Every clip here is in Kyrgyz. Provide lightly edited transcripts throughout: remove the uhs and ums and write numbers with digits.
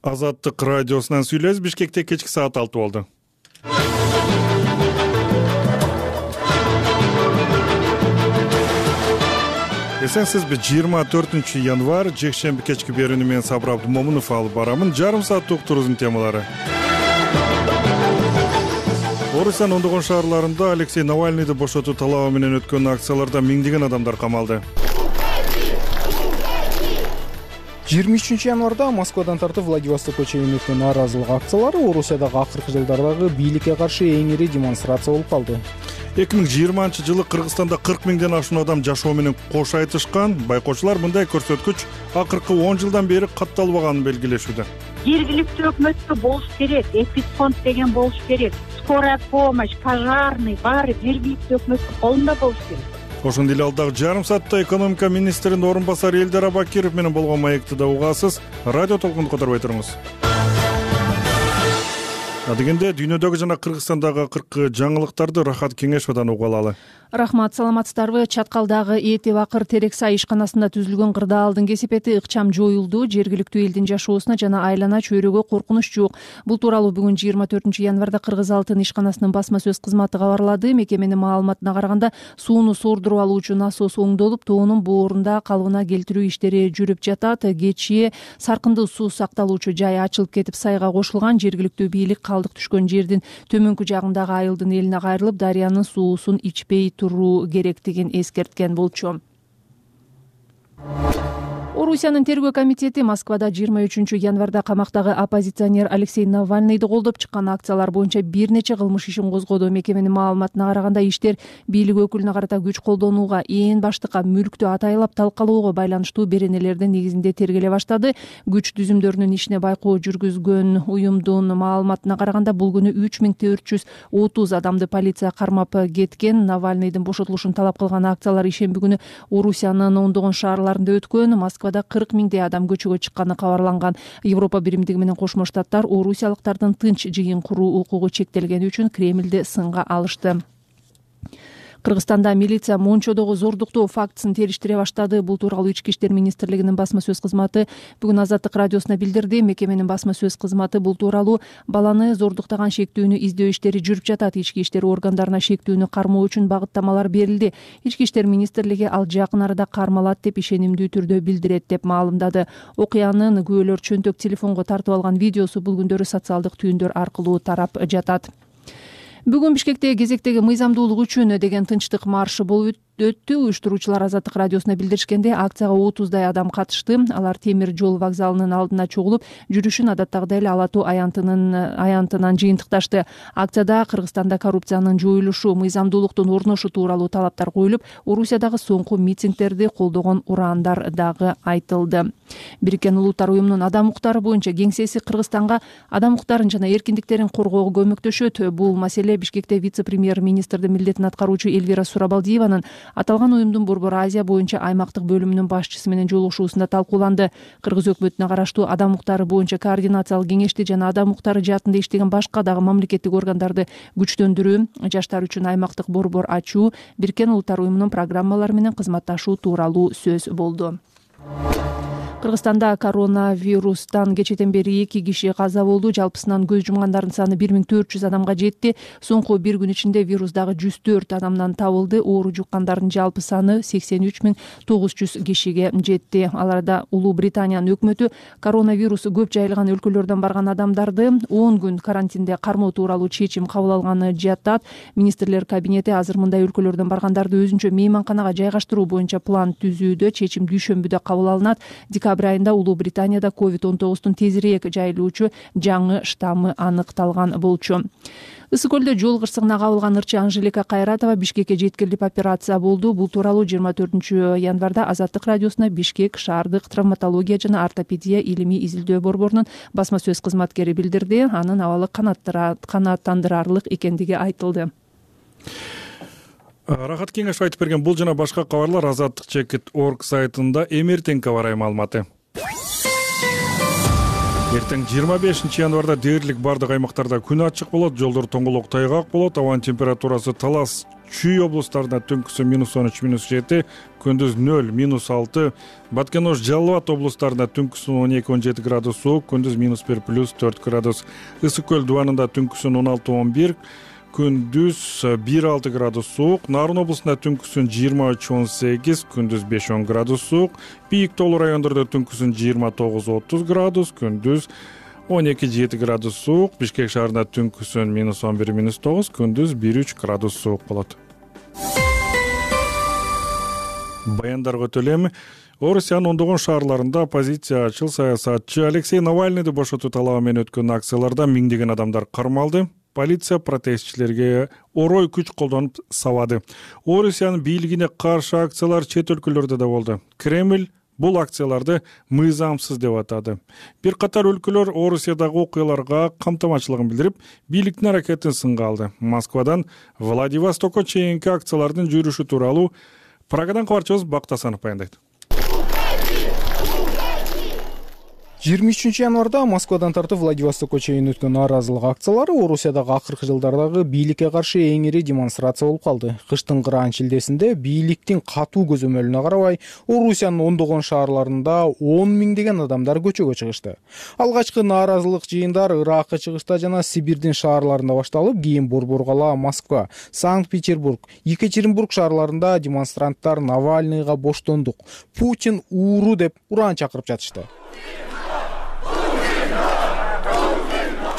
Азаттык радиосунан сүйлөбүз. Бишкекте кечки саат 6 болду. Эсенсизби? 24 январь жекшемби кечки берүүнү мен Сабыр Абдумомунов алып барамын. Жарым сааттык уктуруубуздун темалары. Орусиянын ондогон шаарларында Алексей Навальныйды бошотуу талабы менен өткөн акцияларда миңдеген адамдар камалды. 23 январда Москвадан тартып Владивостокко чейин өткөн нааразылык акциялары Орусиядагы акыркы жылдардагы бийликке каршы эң ири демонстрация болуп калды. 2020-жылы Кыргызстанда 40 миңден ашуун адам жашоо менен кош айтышкан. Байкоочулар мындай көрсөткүч акыркы 10 жылдан бери катталбаганын белгилешүүдө. Жергиликтүү өкмөткө болуш керек, эпидфонд деген болуш керек. Скорая помощь, пожарный баары жергиликтүү өкмөттүн колунда болуш керек. Ошондой эле алдагы жарым саатта экономика министринин орун басары Элдар Абакиров менен болгон маекти да угасыз. Радио толкунду которбой туруңуз. Адегенде дүйнөдөгү жана Кыргызстандагы акыркы жаңылыктарды Рахат Кеңешовдон угуп алалы. Рахмат, саламатсыздарбы? Чаткалдагы Эти Бакыр терек сай ишканасында түзүлгөн кырдаалдын кесепети ыкчам жоюлду. Жергиликтүү элдин жашоосуна жана айлана чөйрөгө коркунуч жок. Бул тууралуу бүгүн 24 январда Кыргыз Алтын ишканасынын басма сөз кызматы кабарлады. Мекеменин маалыматына караганда сууну сордуруп алуучу насос оңдолуп, тоонун боорунда калыбына келтирүү иштери жүрүп жатат. Кечээ саркындуу суу сакталуучу жай ачылып кетип, сайга кошулган. Жергиликтүү бийлик калдык түшкөн жердин төмөнкү жагындагы айылдын элине кайрылып, дарыянын суусун ичпей туруу керектигин эскерткен болчу. Орусиянын тергөө комитети Москвада 23 январда камактагы оппозиционер Алексей Навальныйды колдоп чыккан акциялар боюнча бир нече кылмыш ишин козгоду. Мекеменин маалыматына караганда иштер бийлик өкүлүнө карата күч колдонууга, ээн баштыкка мүлктү атайлап талкалоого байланыштуу беренелердин негизинде тергеле баштады. Күч түзүмдөрүнүн ишине байкоо жүргүзгөн уюмдун маалыматына караганда бул күнү 3430 адамды полиция кармап кеткен. Навальныйдын бошотулушун талап кылган акциялар ишемби күнү Орусиянын ондогон шаарларында өткөн. Москвада 40 миңдей адам көчөгө чыкканы кабарланган. Европа биримдиги менен Кошмо Штаттар орусиялыктардын тынч жыйын куруу укугу чектелгени үчүн Кремлди сынга алышты. Кыргызстанда милиция Мончодогу зордуктоо фактысын териштире баштады. Бул тууралуу Ички иштер министрлигинин басма сөз кызматы бүгүн Азаттык радиосуна билдирди. Мекеменин басма сөз кызматы бул тууралуу баланы зордуктаган шектүүнү издөө иштери жүрүп жатат. Ички иштер органдарына шектүүнү кармоо үчүн багыттамалар берилди. Ички иштер министрлиги ал жакын арада кармалат деп ишенимдүү түрдө билдирет деп маалымдады. Окуянын күбөлөр чөнтөк телефонго тартып алган видеосу бул күндөрү социалдык түйүндөр аркылуу тарап жатат. Бүгүн Бишкекте кезектеги мыйзамдуулук үчүн деген тынчтык маршы болуп өттү. Уюштуруучулар Азаттык радиосуна билдиришкенде акцияга 30дай адам катышты. Алар темир жол вокзалынын алдына чогулуп, жүрүшүн адаттагыдай эле Ала Тоо аянтынан жыйынтыкташты. Акцияда Кыргызстанда коррупциянын жоюлушу, мыйзамдуулуктун орношу тууралуу талаптар коюлуп, Орусиядагы соңку митингдерди колдогон ураандар дагы айтылды. Бириккен Улуттар уюмунун адам укуктары боюнча кеңсеси Кыргызстанга адам укуктарын жана эркиндиктерин коргоого көмөктөшөт. Бул маселе Бишкекте вице-премьер-министрдин милдетин аткаруучу Элвира Сурабалдиеванын аталган уюмдун Борбор Азия боюнча аймактык бөлүмүнүн башчысы менен жолугушуусунда талкууланды. Кыргыз өкмөтүнө караштуу адам укуктары боюнча координациялык кеңешти жана адам укуктары жаатында иштеген башка дагы мамлекеттик органдарды күчтөндүрүү, жаштар үчүн аймактык борбор ачуу, Бириккен Улуттар уюмунун программалары менен кызматташуу тууралуу сөз болду. Кыргызстанда коронавирустан кечээден бери 2 киши каза болду. Жалпысынан көз жумгандардын саны 1400 адамга жетти. Соңку бир күн ичинде вирустагы 104 адамдан табылды. Оору жуккандардын жалпы саны 83900 кишиге жетти. Аларда Улуу Британиянын өкмөтү коронавирусу көп жайылган өлкөлөрдөн барган адамдарды 10 күн карантинде кармоо тууралуу чечим кабыл алганы жатат. Министрлер кабинети азыр мындай өлкөлөрдөн баргандарды өзүнчө мейманканага жайгаштыруу боюнча план түзүүдө. Чечим дүйшөмбүдө кабыл алынат. Декабрь айында Улуу Британияда COVID-19 тезирээк жайылуучу жаңы штаммы аныкталган болчу. Ысык көлдө жол кырсыгына кабылган ырчы Анжелика Кайратова Бишкекке жеткирилип операция болду. Бул тууралуу 24 январда Азаттык радиосуна Бишкек шаардык травматология жана ортопедия илимий изилдөө борборунун басма сөз кызматкери билдирди. Анын абалы канааттандырарлык экендиги айтылды. Рахат Кеңешов айтып берген бул жана башка кабарлар Азаттык.org сайтында эмертеңке барай маалыматы. Эртең 25 январда дээрлик бардык аймактарда күн ачык болот, жолдор тоңголок тайгак болот, абанын температурасы талас Чүй облустарында түнкүсүн -13, -7, күндүз 0, -6. Баткен Ош, Жалал Абад облустарында түнкүсүн 12-17 градус суук, күндүз -1, +4 градус. Ысык көл дубанында түнкүсүн 16-11, күндүз 1-6 градус суук. Нарын облусунда түнкүсүн 23-18, күндүз 5-10 градус суук. Бийик тоолуу райондордо түнкүсүн 29-30 градус, күндүз 12-7 градус суук. Бишкек шаарында түнкүсүн -11, -9, күндүз 1-3 градус суук болот. Баяндарга өтөлү эми. Орусиянын ондогон шаарларында оппозициячыл саясатчы Алексей Навальныйды бошотуу талабы менен өткөн акцияларда миңдеген адамдар кармалды. Полиция протестчилерге орой күч колдонуп сабады. Орусиянын бийлигине каршы акциялар чет өлкөлөрдө да болду. Кремль бул акцияларды мыйзамсыз деп атады. Бир катар өлкөлөр Орусиядагы окуяларга камтамачылыгын билдирип, бийликтин аракетин сынга алды. Москвадан Владивостокко чейинки акциялардын жүрүшү тууралуу Прагадан кабарчыбыз Бакыт Асанов баяндайт. 23 январда Москвадан тартып Владивостокко чейин өткөн нааразылык акциялары Орусиядагы акыркы жылдардагы бийликке каршы эң ири демонстрация болуп калды. Кыштын кыраан шилдесинде бийликтин катуу көзөмөлүнө карабай, Орусиянын ондогон шаарларында 10 миңдеген адамдар көчөгө чыгышты. Алгачкы нааразылык жыйындар Иракка чыгышта жана Сибирдин шаарларында башталып, кийин Борборкала, Москва, Санкт-Петербург, Екатеринбург шаарларында демонстранттар Навальныйга боштондук, Путин ууру деп уран чакырып жатышты.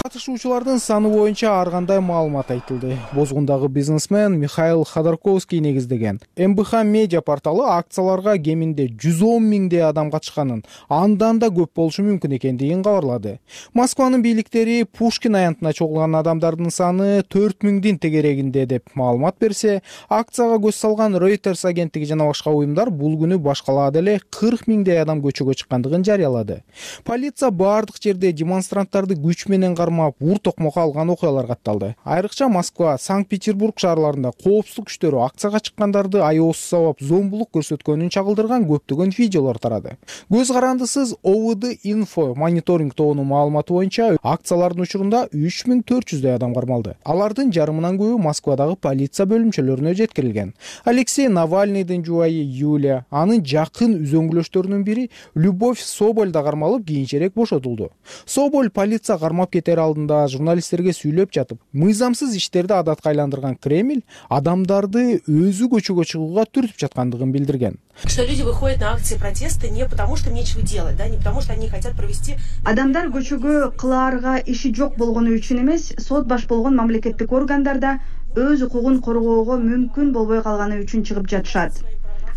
Катышуучулардын саны боюнча ар кандай маалымат айтылды. Бозгундагы бизнесмен Михаил Ходорковский негиздеген МБХ медиа порталы акцияларга кеминде 110 миңдей адам катышканын, андан да көп болушу мүмкүн экендигин кабарлады. Москванын бийликтери Пушкин аянтына чогулган адамдардын саны 4 миңдин тегерегинде деп маалымат берсе, акцияга көз салган Reuters агенттиги жана башка уюмдар бул күнү башкалаада эле 40 миңдей адам көчөгө чыккандыгын жарыялады. Полиция бардык жерде демонстранттарды күч менен ур токмокко алган окуялар катталды. Айрыкча Москва, Санкт-Петербург шаарларында коопсуздук күчтөрү акцияга чыккандарды аеосуз сабап зомбулук көрсөткөнүн чагылдырган көптөгөн видеолор тарады. Көз карандысыз ОВД Info мониторинг тобунун маалыматы боюнча акциялардын учурунда 3400 адам кармалды. Алардын жарымынан көбү Москвадагы полиция бөлүмчөлөрүнө жеткирилген. Алексей Навальныйдын жубайы Юлия, анын жакын үзөңгүлөштөрүнүн бири Любовь Соболь да кармалып, кийинчерээк бошотулду. Соболь полиция кармап кетер алдында журналисттерге сүйлөп жатып, мыйзамсыз иштерди адатка айландырган Кремль адамдарды өзү көчөгө чыгууга түртүп жаткандыгын билдирген. Что люди выходят на акции протеста не потому, что им нечего делать, да, не потому, что они хотят провести. Адамдар көчөгө кылаарга иши жок болгону үчүн эмес, сот баш болгон мамлекеттик органдарда өз укугун коргоого мүмкүн болбой калганы үчүн чыгып жатышат.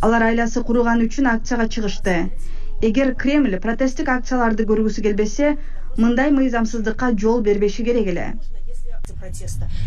Алар айласы куруган үчүн акцияга чыгышты. Эгер Кремль протесттик акцияларды көргүсү келбесе, мындай мыйзамсыздыкка жол бербеши керек эле.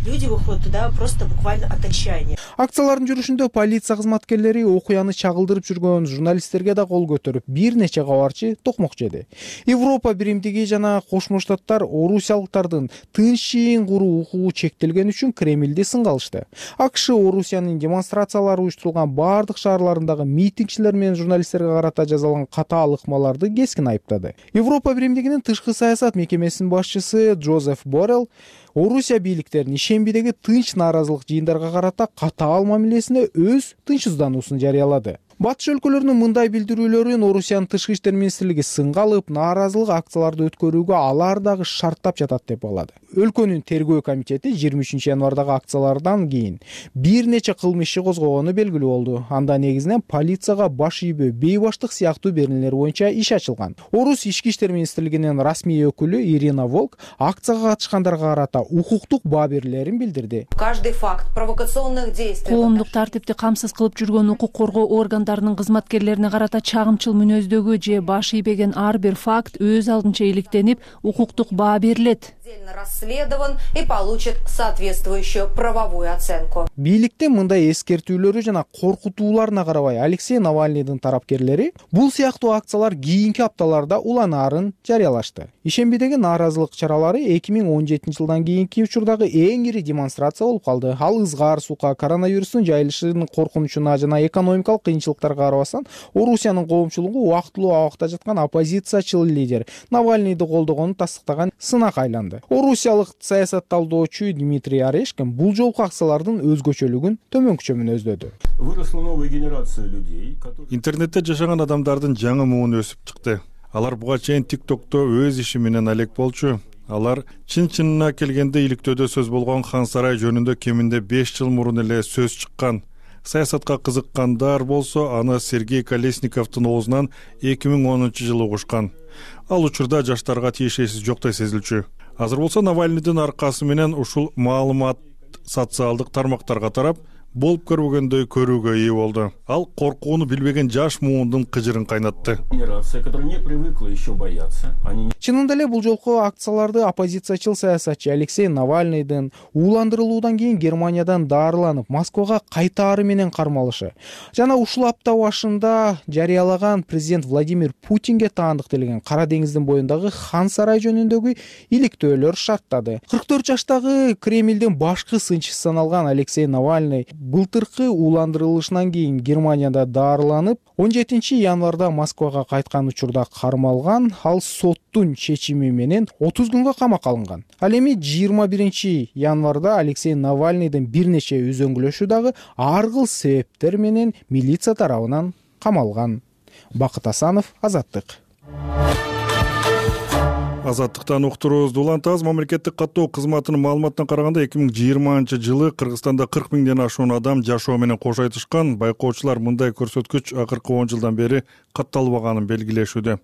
Люди выходят туда просто буквально от отчаяния. Акциялардын жүрүшүндө полиция кызматкерлери окуяны чагылдырып жүргөн журналисттерге да кол көтөрүп, бир нече кабарчы токмок жеди. Европа биримдиги жана Кошмо Штаттар орусиялыктардын тынчын куруу укугу чектелген үчүн Кремльди сынга алышты. АКШ Орусиянын демонстрациялары уюштурулган бардык шаарларындагы митингчилер менен журналисттерге карата жазалган катаал ыкмаларды кескин айыптады. Европа биримдигинин тышкы саясат мекемесинин башчысы Джозеф Боррелл Орусия бийликтерин ишембидеги тынч нааразылык жыйындарга карата катаал мамилесине өз тынчсыздануусун жарыялады. Батыш өлкөлөрүнүн мындай билдирүүлөрүн Орусиянын тышкы иштер министрлиги сынга алып, нааразылык акцияларды өткөрүүгө алар дагы шарттап жатат деп балады. Өлкөнүн тергөө комитети 23 январдагы акциялардан кийин бир нече кылмыш иши козгогону белгилүү болду. Анда негизинен полицияга баш ийбөө, бейбаштык сыяктуу беренелер боюнча иш ачылган. Орус ички иштер министрлигинин расмий өкүлү Ирина Волк акцияга катышкандарга карата укуктук баа берүүлөрүн билдирди. Каждый факт провокационных действий. Коомдук тартипти камсыз кылып жүргөн укук коргоо органдарынын кызматкерлерине карата чагымчыл мүнөздөгү же баш ийбеген ар бир факт өз алдынча иликтенип, укуктук баа берилет. Расследован и получит соответствующую правовую оценку. Бийликтин мындай эскертүүлөрү жана коркутууларына карабай, Алексей Навальныйдын тарапкерлери бул сыяктуу акциялар кийинки апталарда уланаарын жарыялашты. Ишембидеги нааразылык чаралары 2017 жылдан кийинки учурдагы эң ири демонстрация болуп калды. Ал ызгаар суука, коронавирустун жайылышынын коркунучуна жана экономикалык кыйынчылыкка кыйынчылыктарга карабастан Орусиянын коомчулугу убактылуу абакта жаткан оппозициячыл лидер Навальныйды колдогонун тастыктаган сынак айланды. Орусиялык саясатталдоочу Дмитрий Орешкин бул жолку акциялардын өзгөчөлүгүн төмөнкүчө мүнөздөдү. Выросла новая генерация людей, которые... Интернетте жашаган адамдардын жаңы муун өсүп чыкты. Алар буга чейин TikTok'то өз иши менен алек болчу. Алар чын-чынына келгенде иликтөөдө сөз болгон Хан сарай жөнүндө кеминде 5 жыл мурун эле сөз чыккан. Саясатка кызыккандар болсо, аны Сергей Колесниковдун оозунан 2010-жылы угушкан. Ал учурда жаштарга тиешеси жоктой сезилчү. Азыр болсо Навальныйдын аркасы менен ушул маалымат социалдык тармактарга тарап, болуп көрбөгөндөй көрүүгө ээ болду. Ал коркууну билбеген жаш муундун кыжырын кайнатты. Генерация, которая не привыкла еще бояться, они... Чынында эле бул жолку акцияларды оппозициячыл саясатчы Алексей Навальныйдын ууландырылуудан кийин Германиядан дарыланып Москвага кайтаары менен кармалышы жана ушул апта башында жарыялаган президент Владимир Путинге таандыктелген Кара деңиздин боюндагы Хан сарай жөнүндөгү иликтөөлөр шарттады. 44 жаштагы Кремлдин башкы сынчысы саналган Алексей Навальный былтыркы ууландырылышынан кийин Германияда дарыланып 17 январда Москвага кайткан учурда кармалган. Ал соттун чечими менен 30 күнгө камакка алынган. Ал эми 21 январда Алексей Навальныйдын бир нече үзөңгүлөшү дагы ар кыл себептер менен милиция тарабынан камалган. Бакыт Асанов, Азаттык. Азаттыктан уктуруубузду улантабыз. Мамлекеттик каттоо кызматынын маалыматына караганда 2020-жылы Кыргызстанда 40 миңден ашуун адам жашоо менен кош айтышкан. Байкоочулар мындай көрсөткүч акыркы 10 жылдан бери катталбаганын белгилешүүдө.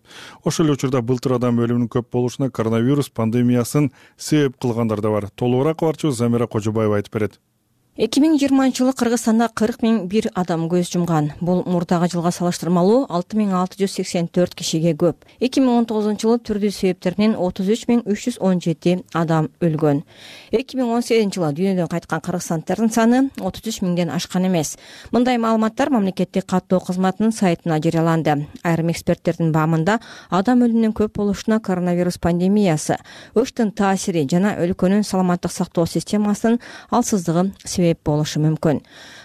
Ошол эле учурда былтыр адам өлүмүнүн көп болушуна коронавирус пандемиясын себеп кылгандар да бар. Толугураак кабарчыбыз Замира Кожобаева айтып берет. 2020-жылы Кыргызстанда 40.001 адам көз жумган. Бул мурдагы жылга салыштырмалуу 6684 кишиге көп. 2019-жылы түрдүү себептеринен 33.317 адам өлгөн. 2018-жылы дүйнөдөн кайткан кыргызстандардын саны 33 миңден ашкан эмес. Мындай маалыматтар мамлекеттик каттоо кызматынын сайтына жарыяланды. Айрым эксперттердин баамында адам өлүмүнүн көп болушуна коронавирус пандемиясы, ОШТун таасири жана өлкөнүн саламаттык сактоо системасынын алсыздыгы себеп болушу мүмкүн.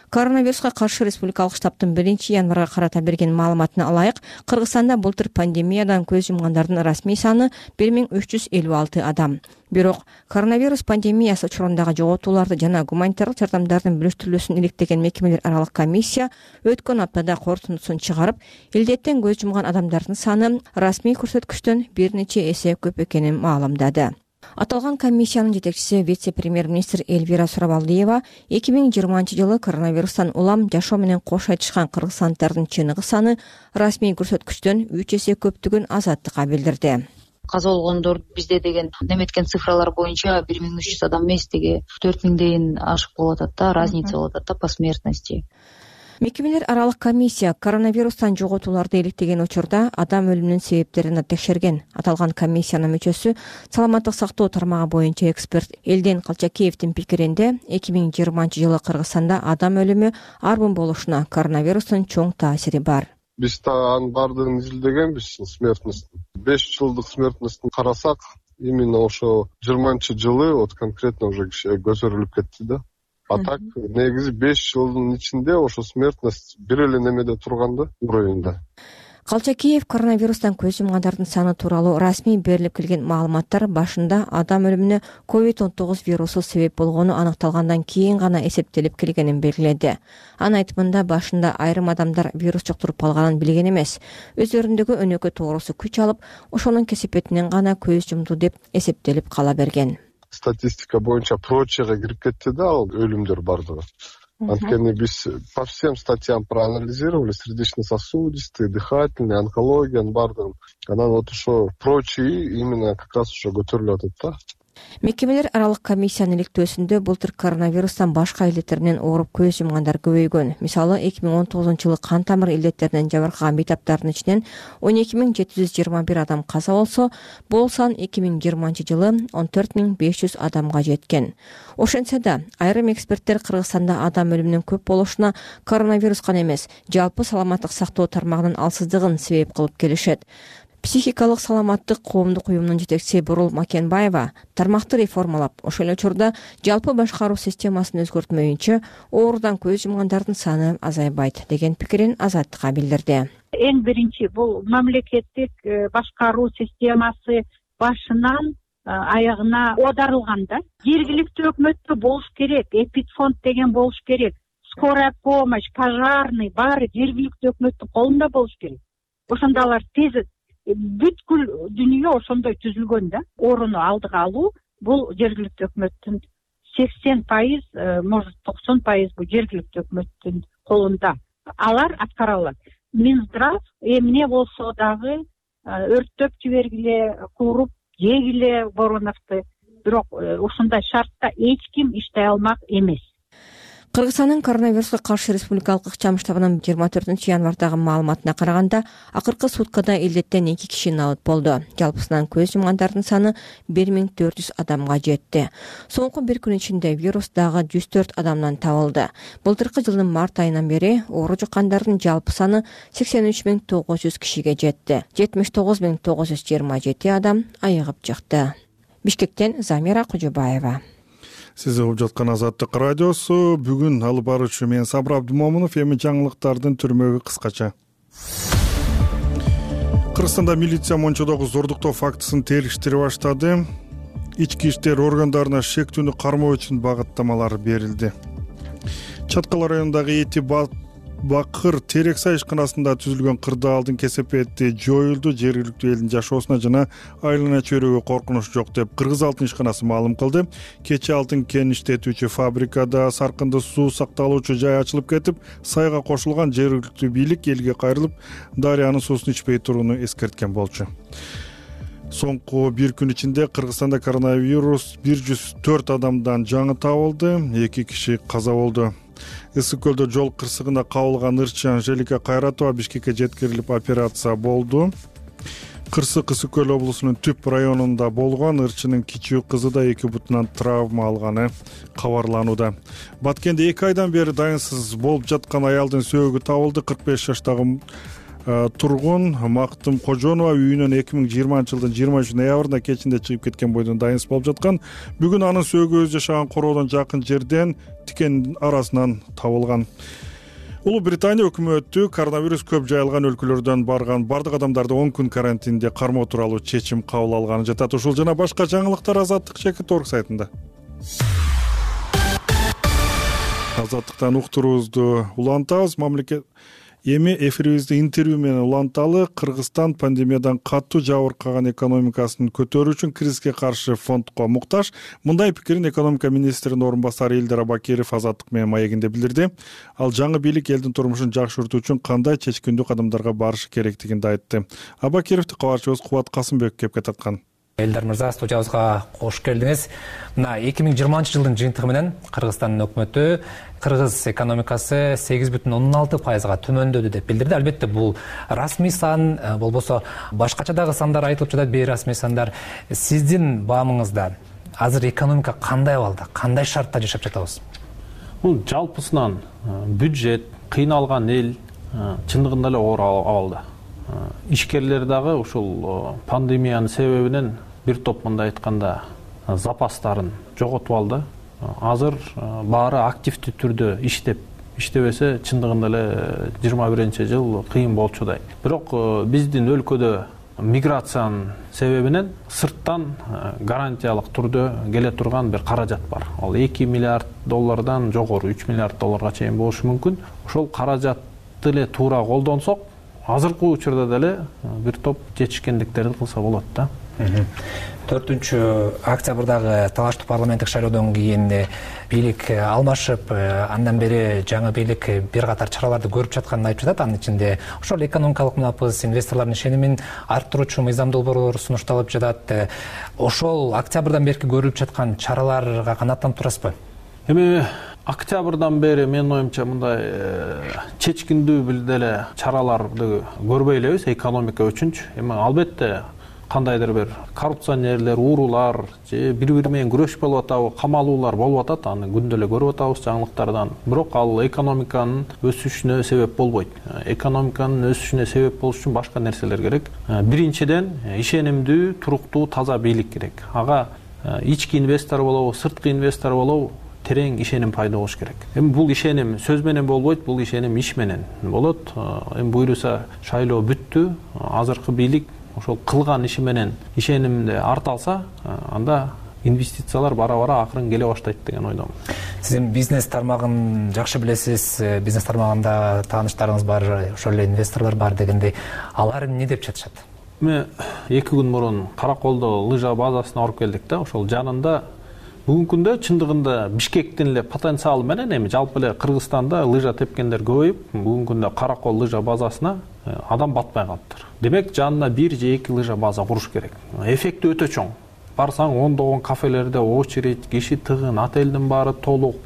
Коронавируска каршы республикалык штабтын 1-январга карата берген маалыматына ылайык, Кыргызстанда былтыр пандемиядан көз жумгандардын расмий саны 1356 адам. Бирок коронавирус пандемиясы учурундагы жоготууларды жана гуманитардык жардамдардын бөлүштүрүлүүсүн иликтеген мекемелер аралык комиссия өткөн аптада корутундусун чыгарып, илдеттен көз жумган адамдардын саны расмий көрсөткүчтөн бир нече эсе көп экенин маалымдады. Аталган комиссиянын жетекчиси вице-премьер-министр Эльвира Сурабалдиева 2020-жылы коронавирустан улам жашоо менен кош айтышкан кыргызстандардын чыныгы саны расмий көрсөткүчтөн 3 эсе көптүгүн Азаттыкка билдирди. Каза болгондор бизде деген неметкен цифралар боюнча 1300 адам эмес, деги 4000ден ашык болуп атат да, разница болуп атат да по смертности. Мекемелер аралык комиссия коронавирустан жоготууларды иликтеген учурда адам өлүмүнүн себептерин текшерген. Аталган комиссиянын мүчөсү саламаттык сактоо тармагы боюнча эксперт Элден Калчакеевдин пикиринде 2020-жылы Кыргызстанда адам өлүмү арбын болушуна коронавирустун чоң таасири бар. Биз анын баардыгын изилдегенбиз, смертностун. 5 жылдык смертностун карасак, именно ошо 20-жылы вот конкретно уже көтөрүлүп кетти да. А так, негизи 5 жылдын ичинде ошо смертность бир эле немеде турганда, уровеньде. Калчакеев коронавирустан көз жумгандардын саны тууралуу расмий берилип келген маалыматтар башында адам өлүмүнө COVID-19 вирусу себеп болгону аныкталгандан кийин гана эсептелип келгенин белгиледи. Анын айтымында башында айрым адамдар вирус жуктуруп алганын билген эмес, өздөрүндөгү өнөкөй тоорусу күч алып, ошонун кесепетинен гана көз жумду деп эсептелип кала берген. Статистика боюнча прочага кирип кетти да, ал өлүмдөр бардыгы. Анткени биз по всем статьям проанализировали, сердечно-сосудистый, дыхательный, онкологиянын бардыгын. Анан вот ошо прочий именно как раз ошо көтөрүлүп атат да. Мекемелер аралык комиссиянын иликтөөсүндө былтыр коронавирустан башка илдеттеринен ооруп көз жумгандар көбөйгөн. Мисалы 2019-жылы кан тамыр илдеттеринен жабыркаган бейтаптардын ичинен 12721 адам каза болсо, бул сан 2020-жылы 14500 адамга жеткен. Ошентсе да, айрым эксперттер Кыргызстанда адам өлүмүнүн көп болушуна коронавирус гана эмес, жалпы саламаттык сактоо тармагынын алсыздыгын себеп кылып келишет. Психикалык саламаттык коомдук уюмунун жетекчиси Бурул Макенбаева тармакты реформалап, ошол эле учурда жалпы башкаруу системасын өзгөртмөйүнчө оорудан көз жумгандардын саны азайбайт деген пикирин Азаттыкка билдирди. Эң биринчи бул мамлекеттик башкаруу системасы башынан аягына оодарылган да. Жергиликтүү өкмөттө болуш керек, эпидфонд деген болуш керек, скорая помощь, пожарный баары жергиликтүү өкмөттүн колунда болуш керек. Ошондо алар тез бүткүл дүйнө ошондой түзүлгөн да. Орунду алдыга алуу бул жергиликтүү өкмөттүн 80%, может 90% бул жергиликтүү өкмөттүн колунда. Алар аткара алат. Минздрав эмне болсо дагы өрттөп жибергиле, кууруп жегиле Вороновду, бирок ушундай шартта эч ким иштей алмак эмес. Кыргызстандын коронавируска каршы республикалык ыкчам штабынын 24 январдагы маалыматына караганда, акыркы суткада илдеттен 2 киши набыт болду. Жалпысынан көз жумгандардын саны 1400 адамга жетти. Соңку бир күн ичинде вирус дагы 104 адамдан табылды. Былтыркы жылдын март айынан бери оору жуккандардын жалпы саны 83900 кишиге жетти. 79927 адам айыгып чыкты. Бишкектен Замира Кожобаева. Сиз угуп жаткан Азаттык радиосу. Бүгүн алып баруучу мен Сабыр Абдымомунов. Эми жаңылыктардын түрмөгү кыскача. Кыргызстанда милиция Мончодогу зордуктоо фактысын териштире баштады. Ички иштер органдарына шектүүнү кармоо үчүн багыттамалар берилди. Чаткал районундагы Эти Бакыр Терексай ишканасында түзүлгөн кырдаалдын кесепети жоюлду. Жергиликтүү элдин жашоосуна жана айлана чөйрөгө коркунуч жок деп Кыргыз алтын ишканасы маалым кылды. Кечээ алтын кен иштетүүчү фабрикада саркынды суу сакталуучу жай ачылып кетип, сайга кошулган. Жергиликтүү бийлик элге кайрылып, дарыянын суусун ичпей турууну эскерткен болчу. Соңку бир күн ичинде Кыргызстанда коронавирус 104 адамдан жаңы табылды. 2 киши каза болду. Ысык көлдө жол кырсыгына кабылган ырчы Анжелика Кайратова Бишкекке жеткирилип операция болду. Кырсык Ысык көл облусунун Түп районунда болгон. Ырчынын кичүү кызы да 2 бутунан травма алганы кабарланууда. Баткенде 2 айдан бери дайынсыз болуп жаткан аялдын сөөгү табылды. 45 жаштагы тургун Мактым Кожонова үйүнөн 2020 жылдын 23 ноябрында кечинде чыгып кеткен бойдон дайынсыз болуп жаткан. Бүгүн анын сөөгү өз жашаган короодон жакын жерден тикен арасынан табылган. Улуу Британия өкмөтү коронавирус көп жайылган өлкөлөрдөн барган бардык адамдарды 10 күн карантинде кармоо тууралуу чечим кабыл алганы жатат. Ушул жана башка жаңылыктар Азаттык.org сайтында. Азаттыктан уктуруубузду улантабыз. Мамлекет эми эфирибизди интервью менен уланталы. Кыргызстан пандемиядан катуу жабыркаган экономикасын көтөрүү үчүн кризиске каршы фондко муктаж. Мындай пикирин экономика министринин орун басары Элдер Абакиров Азаттык менен маегинде билдирди. Ал жаңы бийлик элдин турмушун жакшыртуу үчүн кандай чечкиндүү кадамдарга барышы керектигин да айтты. Абакировду кабарчыбыз Кубат Касымбек кепке тарткан. Элдер мырза, студиябызга кош келдиңиз. Мына 2020 жылдын жыйынтыгы менен Кыргызстандын өкмөтү кыргыз экономикасы 8,16%га төмөндөдү деп билдирди. Албетте бул расмий сан, болбосо башкача дагы сандар айтылып жатат, бейрасмий сандар. Сиздин баамыңызда азыр экономика кандай абалда, кандай шартта жашап жатабыз? Бул жалпысынан бюджет, кыйналган эл чындыгында эле оор абалда. Ишкерлер дагы ушул пандемиянын себебинен бир топ мындай айтканда запастарын жоготуп алды. Азыр баары активдүү түрдө иштебесе чындыгында эле 21-жыл кыйын болчудай. Бирок биздин өлкөдө миграциянын себебинен сырттан гарантиялык түрдө келе турган бир каражат бар. Ал $2 миллиард жогору, $3 миллиард чейин болушу мүмкүн. Ошол каражатты эле туура колдонсок, азыркы учурда деле бир топ жетишкендиктерди кылса болот да. 4-октябрдагы талаштуу парламенттик шайлоодон кийин бийлик алмашып, андан бери жаңы бийлик бир катар чараларды көрүп жатканын айтып жатат. Анын ичинде ошол экономикалык мунапыс, инвесторлордун ишенимин арттыруучу мыйзам долбоорлор сунушталып жатат. Ошол октябрдан берки көрүлүп жаткан чараларга канааттанып турасызбы? Эми октябрдан бери менин оюмча мындай чечкиндүү бир деле чараларды көрбөй элебиз экономика үчүнчү. Эми албетте кандайдыр бир коррупционерлер, уурулар же бири менен күрөш болуп атабы, камалуулар болуп атат. Аны күндө эле көрүп атабыз жаңылыктардан. Бирок ал экономиканын өсүшүнө себеп болбойт. Экономиканын өсүшүнө себеп болуш үчүн башка нерселер керек. Биринчиден ишенимдүү, туруктуу, таза бийлик керек. Ага ички инвестор болобу, сырткы инвестор болобу, терең ишеним пайда болуш керек. Эми бул ишеним сөз менен болбойт, бул ишеним иш менен болот. Эми буйруса шайлоо бүттү. Азыркы бийлик ошол кылган иши менен ишенимди арта алса, анда инвестициялар бара-бара акырын келе баштайт деген ойдомун. Сиз эми бизнес тармагын жакшы билесиз. Бизнес тармагында тааныштарыңыз бар, ошол эле инвесторлор бар дегендей. Алар эмне деп жатышат? Мен 2 күн мурун Караколдо лыжа базасына барып келдик да. Ошол жанында бүгүнкү күндө чындыгында Бишкектин эле потенциалы менен эми жалпы эле Кыргызстанда лыжа тепкендер көбөйүп, бүгүнкү күндө Каракол лыжа базасына адам батпай калыптыр. Демек жанына 1 же 2 лыжа база куруш керек. Эффекти өтө чоң. Барсаң ондогон кафелерде очередь, киши тыгын, отелдин баары толук.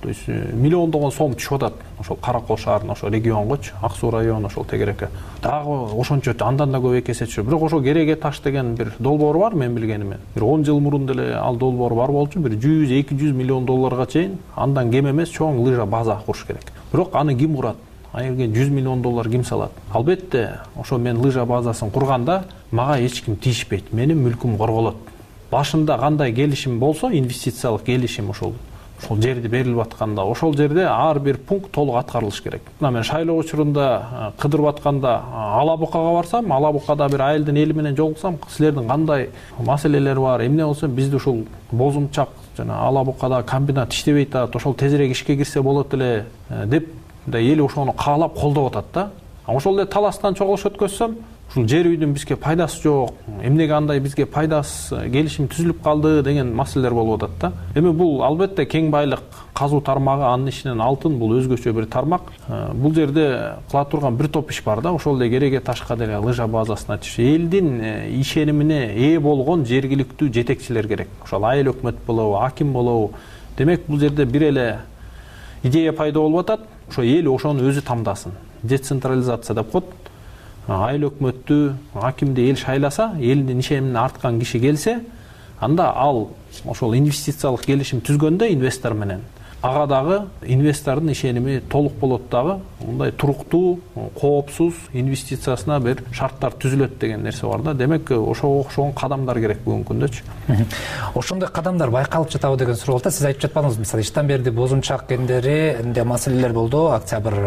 То есть миллиондогон сом түшүп атат. Ошол Каракол шаарына, ошол регионгочу, Ак Суу району ошол тегереке. Дагы ошончо андан да көп 2 эсе түшүп. Бирок ошол Кереге таш деген бир долбоор бар, мен билгениме. Бир 10 жыл мурун деле ал долбоор бар болчу. Бир 100-200 миллион долларга чейин андан кем эмес чоң лыжа база куруш керек. Бирок аны ким курат? Айырген 100 миллион доллар ким салат? Албетте, ошо мен лыжа базасын курганда мага эч ким тийишпейт. Менин мүлкүм корголот. Башында кандай келишим болсо, инвестициялык келишим ошол жерди берилип атканда, ошол жерде ар бир пункт толук аткарылыш керек. Мына мен шайлоо учурунда кыдырып атканда Алабукага барсам, Алабукада бир айылдын эли менен жолуксам, силердин кандай маселелер бар, эмне болсо бизди ушул бозумчак жана Алабукада комбинат иштебей атат, ошол тезирээк ишке кирсе болот эле деп эл ошону каалап колдоп атат да. Ошол эле таластан чогулуш өткөзсөм, ушул жер үйдүн бизге пайдасы жок, эмнеге андай бизге пайдасыз келишим түзүлүп калды деген маселелер болуп атат да. Эми бул албетте кең байлык казуу тармагы, анын ишинен алтын, бул өзгөчө бир тармак. Бул жерде кыла турган бир топ иш бар да. Ошол эле Кереге ташка деле лыжа базасын ачыш. Элдин ишенимине ээ болгон жергиликтүү жетекчилер керек. Ошол айыл өкмөт болобу, аким болобу. Демек бул жерде бир эле идея пайда болуп атат. Ошо эл ошону өзү тамдасын. Децентрализация деп коет. Айыл өкмөттү, акимди эл шайласа, элдин ишенимине арткан киши келсе, анда ал ошол инвестициялык келишим түзгөндө инвестор менен ага дагы инвестордун ишеними толук болот дагы, мындай туруктуу, коопсуз инвестициясына бир шарттар түзүлөт деген нерсе бар да. Демек ошого окшогон кадамдар керек бүгүнкү күндөчү. Ошондой кадамдар байкалып жатабы деген суроо болду. Сиз айтып жатпадыңыз, мисалы иштен берди бозумчак кендеринде маселелер болду октябрь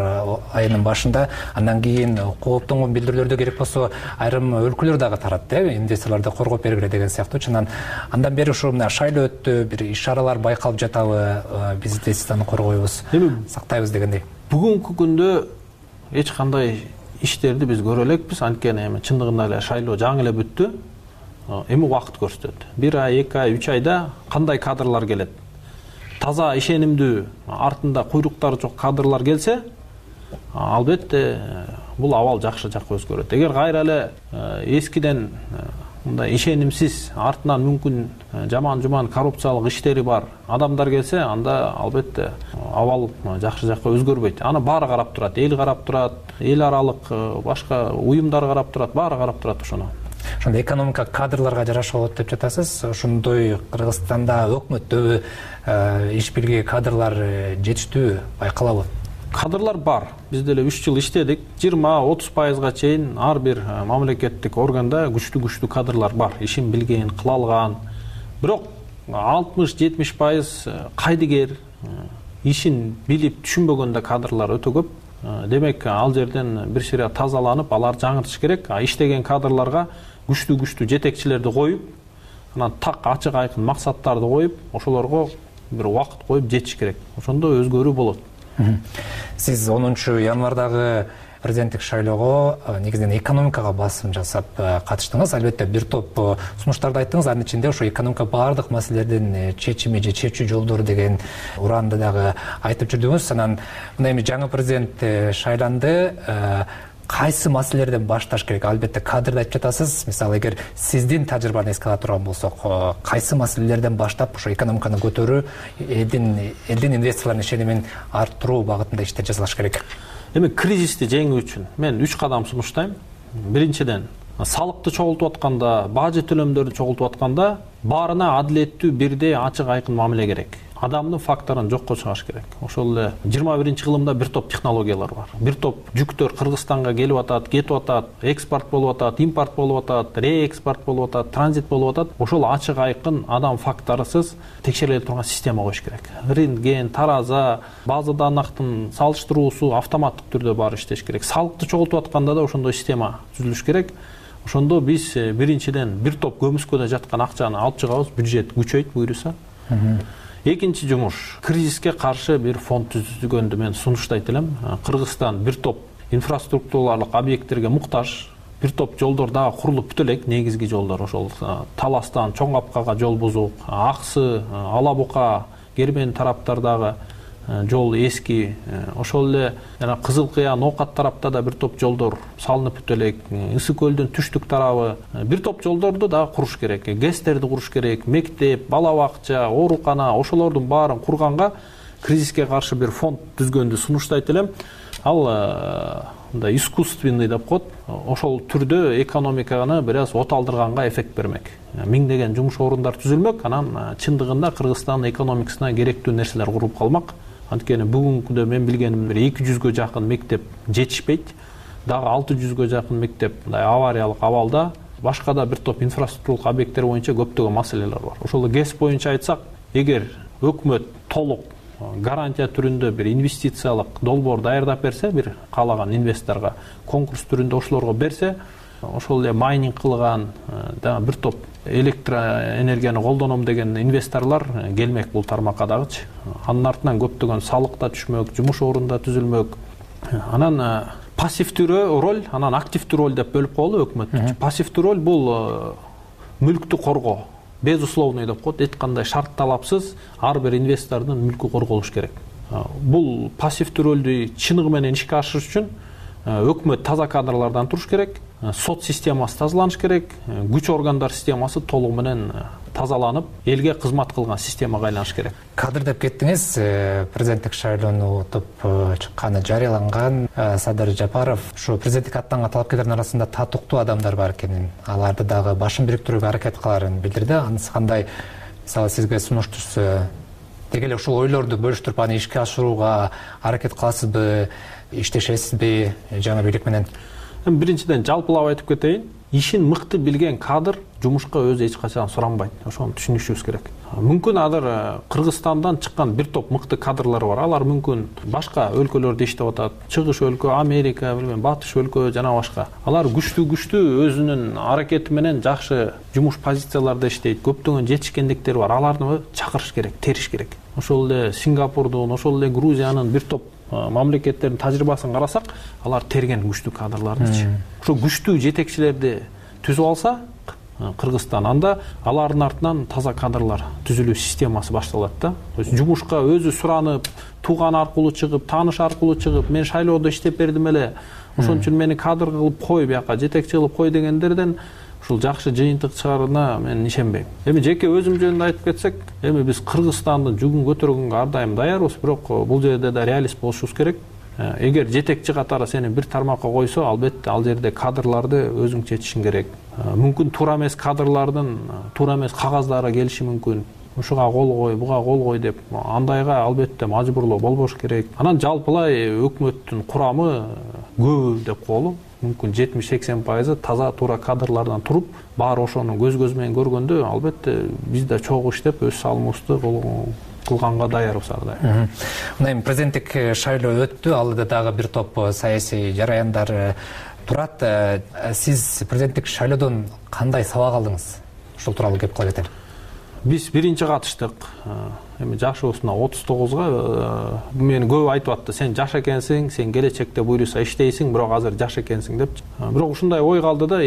айынын башында. Андан кийин кооптонгон билдирүүлөрдө керек болсо айрым өлкөлөр дагы таратты, инвесторлорду коргоп бергиле деген сыяктуу. Андан бери ушу мына шайлоо өттү, бир иш-чаралар байкалып жатабы, биз аны коргойбуз, сактайбыз дегендей. Бүгүнкү күндө эч кандай иштерди биз көрө элекпиз, анткени эми чындыгында эле шайлоо жаңы эле бүттү. Эми убакыт көрсөтөт. 1 ай, 2 ай, 3 айда кандай кадрлар келет? Таза ишенимдүү, артында куйруктары жок кадрлар келсе, албетте бул абал жакшы жакка өзгөрөт. Эгер кайра эле эскиден мындай ишенимсиз, артынан мүмкүн жаман-жуман коррупциялык иштери бар адамдар келсе, анда албетте абал жакшы жакка өзгөрбөйт. Аны баары карап турат, эл карап турат, эл аралык башка уюмдар карап турат, баары карап турат ошону. Ошондо экономика кадрларга жараша болот деп жатасыз. Ошондой Кыргызстанда өкмөттө иш билги кадрлар жетиштүү байкалабы? Кадрлар бар. Биз деле 3 жыл иштедик. 20-30% чейин ар бир мамлекеттик органда күчтүү кадрлар бар. Ишин билген, кыла алган. Бирок 60-70% кайдыгер, ишин билип түшүнбөгөндө кадрлар өтө көп. Демек, ал жерден бир шире тазаланып, алар жаңыртыш керек. Иштеген кадрларга күчтүү жетекчилерди коюп, анан так ачык айкын максаттарды коюп, ошолорго бир убакыт коюп жетиш керек. Ошондо өзгөрүү болот. Сиз 10 январдагы президенттик шайлоого негизинен экономикага басым жасап катыштыңыз. Албетте бир топ сунуштарды айттыңыз. Анын ичинде ошо экономика баардык маселелердин чечими же чечүү жолдору деген ураанды дагы айтып жүрдүңүз. Анан мына эми жаңы президент шайланды. Кайсы маселелерден башташ керек? Албетте кадрды айтып жатасыз. Мисалы, эгер сиздин тажрыйбаны эске ала турган болсок, кайсы маселелерден баштап ошо экономиканы көтөрүү, элдин инвесторлордун ишенимин арттыруу багытында иштер жасалыш керек? Эми кризисти жеңүү үчүн мен 3 кадам сунуштайм. Биринчиден, салыкты чогултуп атканда, бажы төлөмдөрдү чогултуп атканда баарына адилеттүү, бирдей, ачык, айкын мамиле керек. Адамдын факторун жокко чыгарыш керек. Ошол эле 21-кылымда бир топ технологиялар бар. Бир топ жүктөр Кыргызстанга келип атат, кетип атат, экспорт болуп атат, импорт болуп атат, реэкспорт болуп атат, транзит болуп атат. Ошол ачык, айкын, адам факторусуз текшериле турган система коюш керек. Рентген, тараза, база данактын салыштыруусу автоматтык түрдө баары иштеш керек. Салыкты чогултуп атканда да ошондой система түзүлүш керек. Ошондо биз биринчиден бир топ көмүскөдө жаткан акчаны алып чыгабыз, бюджет күчөйт буюрса. Экинчи жумуш, кризиске каршы бир фонд түзүлгөндү мен сунуштайт элем. Кыргызстан бир топ инфраструктуралык объекттерге муктаж, бир топ жолдор дагы курулуп бүтө элек, негизги жолдор ошол Таластан Чоң Капкага жол бузук, Аксы, Ала Бука, Кермен тараптардагы жол эски, ошол эле жана Кызыл Кыя, Ноокат тарапта да бир топ жолдор салынып бүтө элек, Ысык көлдүн түштүк тарабы, бир топ жолдорду дагы куруш керек, ГЭСтерди куруш керек, мектеп, бала бакча, оорукана, ошолордун баарын курганга кризиске каршы бир фонд түзгөндү сунуштайт элем. Ал мындай искусственный деп коет, ошол түрдө экономиканы бир аз оталдырганга эффект бермек. Миңдеген жумуш орундар түзүлмөк, анан чындыгында Кыргызстандын экономикасына керектүү нерселер куруп калмак. Анткени бүгүнкүдө мен билгеним 200гө жакын мектеп жетишпейт. Дагы 600гө жакын мектеп мындай авариялык абалда. Башка да бир топ инфраструктуралык объекттер боюнча көптөгөн маселелер бар. Ошол ГЭС боюнча айтсак, эгер өкмөт толук гарантия түрүндө бир инвестициялык долбоор даярдап берсе, бир каалаган инвесторго конкурс түрүндө ошолорго берсе, ошол эле майнинг кылган, дагы бир топ электроэнергияны колдоном деген инвесторлор келмек бул тармакка дагычы. Анын артынан көптөгөн салык да түшмөк, жумуш орун да түзүлмөк. Анан пассивдүү роль, анан активдүү роль деп бөлүп коелу өкмөт. Пассивдүү роль бул мүлктү коргоо. Безусловный деп коет, эч кандай шарт талапсыз ар бир инвестордун мүлкү корголуш керек. Бул пассивдүү ролду чыныгы менен ишке ашырыш үчүн өкмөт таза кадрлардан туруш керек, сот системасы тазаланыш керек, күч органдар системасы толугу менен тазаланып, элге кызмат кылган системага айланыш керек. Кадр деп кеттиңиз, президенттик шайлоону утуп чыкканы жарыяланган. Садыр Жапаров ушу президенттик аттанган талапкерлердин арасында татыктуу адамдар бар экенин, аларды дагы башын бириктирүүгө аракет кыларын билдирди. Анысы кандай, мисалы сизге сунуш түшсө, деги эле ушул ойлорду бөлүштүрүп аны ишке ашырууга аракет кыласызбы, иштешесизби жаңы бийлик менен? Биринчиден жалпылап айтып кетейин, ишин мыкты билген кадр жумушка өзү эч качан суранбайт. Ошону түшүнүшүбүз керек. Мүмкүн азыр Кыргызстандан чыккан бир топ мыкты кадрлар бар. Алар мүмкүн башка өлкөлөрдө иштеп атат. Чыгыш өлкө, Америка, батыш өлкө жана башка. Алар күчтүү өзүнүн аракети менен жакшы жумуш позицияларда иштейт. Көптөгөн жетишкендиктери бар. Аларды чакырыш керек, териш керек. Ошол эле Сингапурдун, ошол эле Грузиянын бир топ мамлекеттердин тажрыйбасын карасак, алар терген күчтүү кадрлардычы. Ошо күчтүү жетекчилерди түзүп алса Кыргызстан, анда алардын артынан таза кадрлар түзүлүү системасы башталат да. Жумушка өзү суранып, тууган аркылуу чыгып, тааныш аркылуу чыгып, мен шайлоодо иштеп бердим эле, ошон үчүн мени кадр кылып кой, бияка жетекчи кылып кой дегендерден ушул жакшы жыйынтык чыгарына мен ишенбейм. Эми жеке өзүм жөнүндө айтып кетсек, эми биз Кыргызстандын жүгүн көтөргөнгө ар дайым даярбыз, бирок бул жерде да реалист болушубуз керек. Эгер жетекчи катары сени бир тармакка койсо, албетте ал жерде кадрларды өзүң чечишиң керек. Мүмкүн туура эмес кадрлардын туура эмес кагаздары келиши мүмкүн. Ушуга кол кой, буга кол кой деп, андайга албетте мажбурлоо болбош керек. Анан жалпылай өкмөттүн курамы көбү деп коелу. Мүмкүн 70-80% таза туура кадрлардан туруп, баары ошону көз менен көргөндө, албетте биз да чогуу иштеп өз салымыбызды кылганга даярбыз ар дайым. Мына эми президенттик шайлоо өттү, алда дагы бир топ саясий жараяндар турат. Сиз президенттик шайлоодон кандай сабак алдыңыз? Ушул тууралуу кеп кыла кетели. Биз биринчи катыштык. Эми жашыбызна 39га мени көп айтып атты, сен жаш экенсиң, сен келечекте буйруса иштейсиң, бирок азыр жаш экенсиң депчи. Бирок ушундай ой калды да,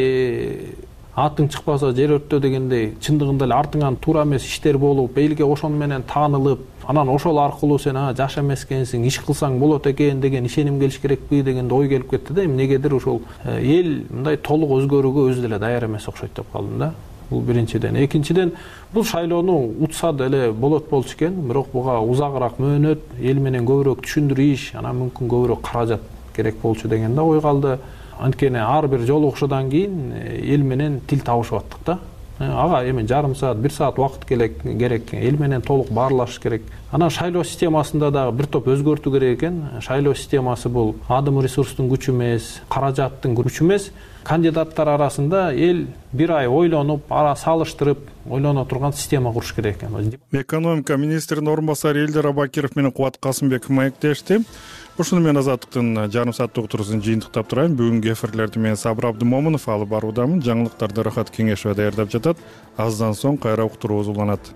атың чыкпаса жер өрттө дегендей, чындыгында эле артыңан туура эмес иштер болуп, элге ошону менен таанылып, анан ошол аркылуу сен жаш эмес экенсиң, иш кылсаң болот экен деген ишеним келиш керекпи дегенде ой келип кетти да. Эмнегедир ушул эл мындай толук өзгөрүүгө өзү деле даяр эмес окшойт деп калдым да. Бул биринчиден. Экинчиден, бул шайлоону утса деле болот болчу экен, бирок буга узагыраак мөөнөт, эл менен көбүрөөк түшүндүрүү иш, анан мүмкүн көбүрөөк каражат керек болчу деген да ой калды. анткени ар бир жолугушуудан кийин эл менен тил табышып аттык да. Ага эми жарым саат, 1 саат убакыт керек, эл менен толук баарлашыш керек. Анан шайлоо системасында дагы бир топ өзгөртүү керек экен. Шайлоо системасы бул адым ресурстун күчү эмес, каражаттын күчү эмес. Кандидаттар арасында эл бир ай ойлонуп, салыштырып, ойлоно турган система куруш керек экен. Экономика министринин орун басары Элдер Абакиров менен Кубат Касымбеков маектешти. Ушуну менен Азаттыктын жарым сааттык утуруусун жыйынтыктап турайын. Бүгүнкү эфирлерди мен Сабыр Абдымомунов алып баруудамын. Жаңылыктарды Рахат Кеңешова даярдап жатат. Аздан соң кайра уктуруубуз уланат.